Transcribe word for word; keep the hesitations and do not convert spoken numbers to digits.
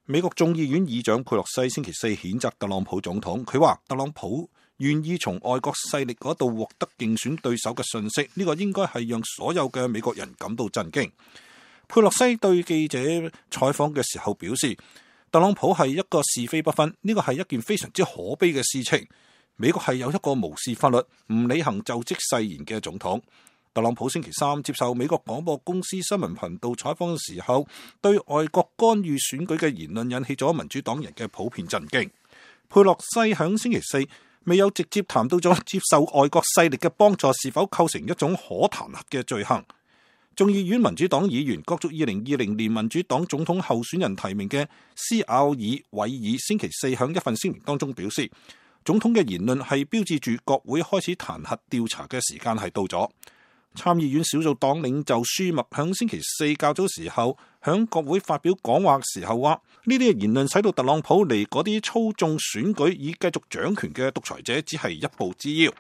美國眾議院議長佩洛西星期四譴責特朗普總統，佢話特朗普願意從外國勢力嗰度獲得競選對手嘅信息，呢個應該係讓所有嘅美國人感到震驚。佩洛西對記者採訪嘅時候表示，特朗普係一個是非不分，呢個係一件非常之可悲嘅事情。美國係有一個無視法律、唔履行就職誓言嘅總統。特朗普星期三接受美國廣播公司新聞頻道採訪嘅時候，對外國干預選舉嘅言論引起咗民主黨人嘅普遍震驚。佩洛西響星期四未有直接談到咗接受外國勢力嘅幫助是否構成一種可彈劾嘅罪行。眾議院民主黨議員角逐二零二零年民主黨總統候選人提名嘅斯奧爾韋爾星期四響一份聲明當中表示，總統嘅言論係標誌住國會開始彈劾調查嘅時間係到咗。參議院少數黨領袖舒默響星期四較早時候響國會發表講話時候話，呢啲嘅言論使到特朗普離嗰啲操縱選舉以繼續掌權嘅獨裁者只係一步之遙。